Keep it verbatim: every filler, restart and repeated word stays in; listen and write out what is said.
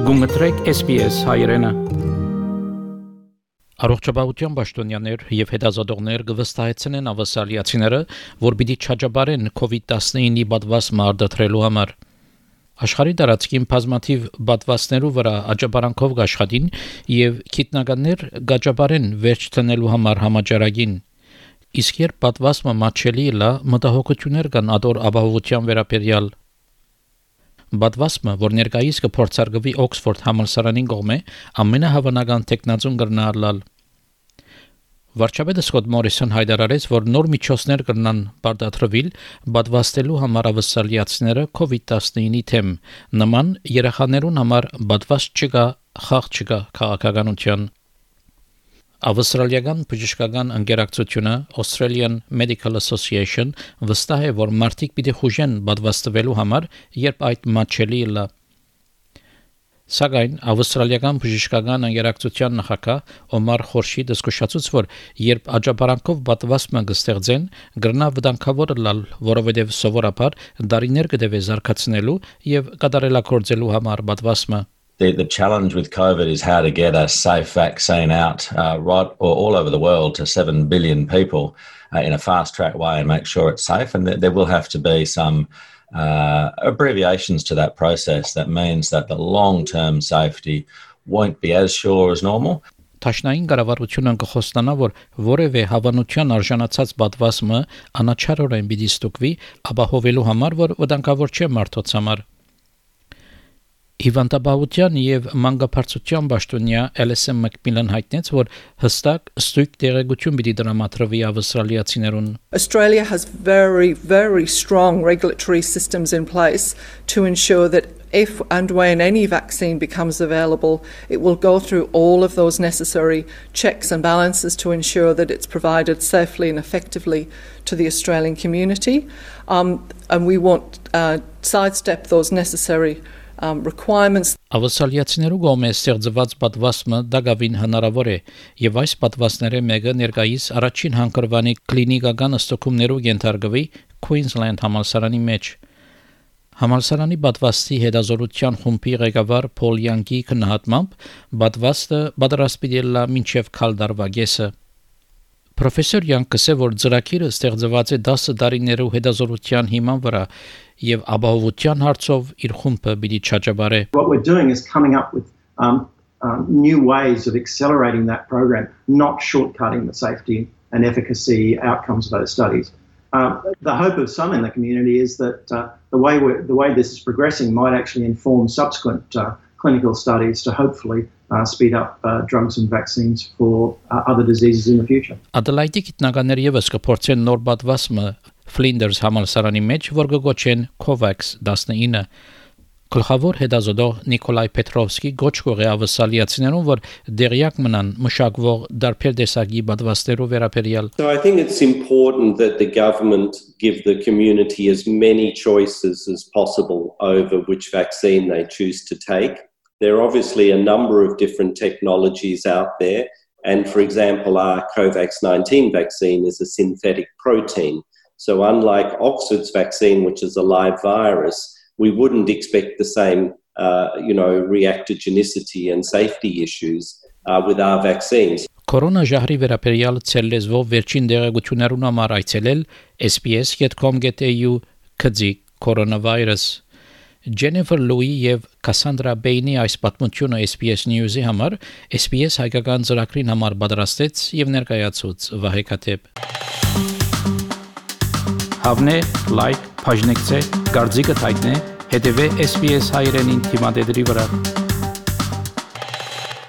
Գումտրեք S B S հայրենը։ Առողջապահության պաշտոնյաներ եւ հետազոտողներ կվստահեցնեն ավասալիացիները, որ պիտի չաջաբարեն COVID nineteen-ի պատվաստը արդարելու համար։ Աշխարհի տարածքին բազմաթիվ պատվաստներու վրա աջաբարանքով աշխատին եւ քիտնականներ գաջաբարեն վերջ տնելու համար համաճարակին։ Իսկ երբ պատվաստը մատչելի լա, մտահոգություններ կան ադոր ապահովության վերաբերյալ։ Պատվաստը, որ ներկայիս կփորձարկվի Օքսֆորդ համալսարանին կողմէ, ամենահավանական տեխնազուն կրնալալ։ Վարչապետը Սկոտ Մորիսոն հայտարարեց, որ նոր միջոցներ կրնան բարդատրվել պատվաստելու համար ավասալիացիները COVID nineteen-ի թեմ, նման երեխաներուն համար պատվաստ չկա, խաղ չկա քաղաքականության։ Ավստրալիական բժշկական ընկերակցությունը Australian Medical Association վստահ է, որ մարդիկ պիտի խուժեն պատվաստվելու համար, երբ այդ մատչելի լա։ Սակայն ավստրալիական բժշկական ընկերակցության նախագահ Օմար Խորշիդը զսկուշացուց, որ երբ աջաբարանքով պատվաստը կստեղծեն, գրնա վտանգավոր լալ, որովհետև սովորաբար դարիներ կդեվե զարգացնելու եւ կատարելագործելու համար պատվաստը։ The, the challenge with COVID is how to get a safe vaccine out uh, right or all over the world to seven billion people uh, in a fast-track way and make sure it's safe. And th- there will have to be some uh, abbreviations to that process. That means that the long-term safety won't be as sure as normal. Տաշնային կառավարությունը կխոստանա, որ որևէ հավանության արժանացած պատվաստը անաչառորեն պիտի ստուգվի, ապահովելու համար, որ վտանգավոր չէ մարդոց համար։ Հիվանդաբանության եւ մանկաբարձության պաշտոնյա Էլիսոն Մակմիլան հայտնեց, որ հստակ ստույգ տեղեկություն պիտի դրամատրվի ավստրալիացիներուն։ Australia has very, very strong regulatory systems in place to ensure that if and when any vaccine becomes available, it will go through all of those necessary checks and balances to ensure that it's provided safely and effectively to the Australian community. Um, and we won't uh, sidestep those necessary Um, requirements. Ավասալիացիներու կողմէ ստեղծված պատվաստը դակավին հնարավոր է եւ այս պատվաստները մեկը ներկայիս առաջին հանգրվանի կլինիկական ըստոկումներու ենթարկվի Queensland համալսարանի մեջ։ Համալսարանի պատվաստի հետազոտության խումբի ղեկավար Փոլ Յանգի քննադատմամբ պատվաստը պատրաստվել է մինչև քալդարվա գեսը։ Պրոֆեսոր Յանգը ասել, որ ծրագիրը ստեղծված է դասը տարիներու հետազոտության հիման վրա եւ ապահովության հարցով իր խումբը պիտի չաջաբարե։ What we're doing is coming up with um, um, new ways of accelerating that program, not shortcutting the safety and efficacy outcomes of those studies. Um, the hope of some in the community is that uh, the way we're, the way this is progressing might actually inform subsequent uh, clinical studies to hopefully uh, speed up uh, drugs and vaccines for uh, other diseases in the future. Adelaide գիտնականներ եւս կփորձեն նոր պատվաստը Flinders համալսարանի մեջ, որ կգոչեն COVAX nineteen-ը։ Գլխավոր հետազոտող Նիկոլայ Պետրովսկի գոչ կողե ավասալիացիներուն, որ դերյակ մնան մշակվող դարբեր տեսակի պատվաստերով վերաբերյալ։ So I think it's important that the government give the community as many choices as possible over which vaccine they choose to take. There are obviously a number of different technologies out there, and for example, our COVAX nineteen vaccine is a synthetic protein. So unlike Oxford's vaccine, which is a live virus, we wouldn't expect the same, uh, you know, reactogenicity and safety issues uh, with our vaccines. Կորոնա ժահրի վերաբերյալ ցելեզվով վերջին դեղեցություններուն համար այցելել S B S dot com dot A U քծի կորոնավիրուս։ Jennifer Louis եւ Cassandra Bainey այս պատմությունը S B S News-ի համար S B S հայկական ծրագրին համար պատրաստեց եւ ներկայացուց Վահե Քաթեփ։ Հավնե, լայք, բաժնեկցե, դարձիկը թայտնե, հետեւե S B S հայրենին թիմադեդրի վրա։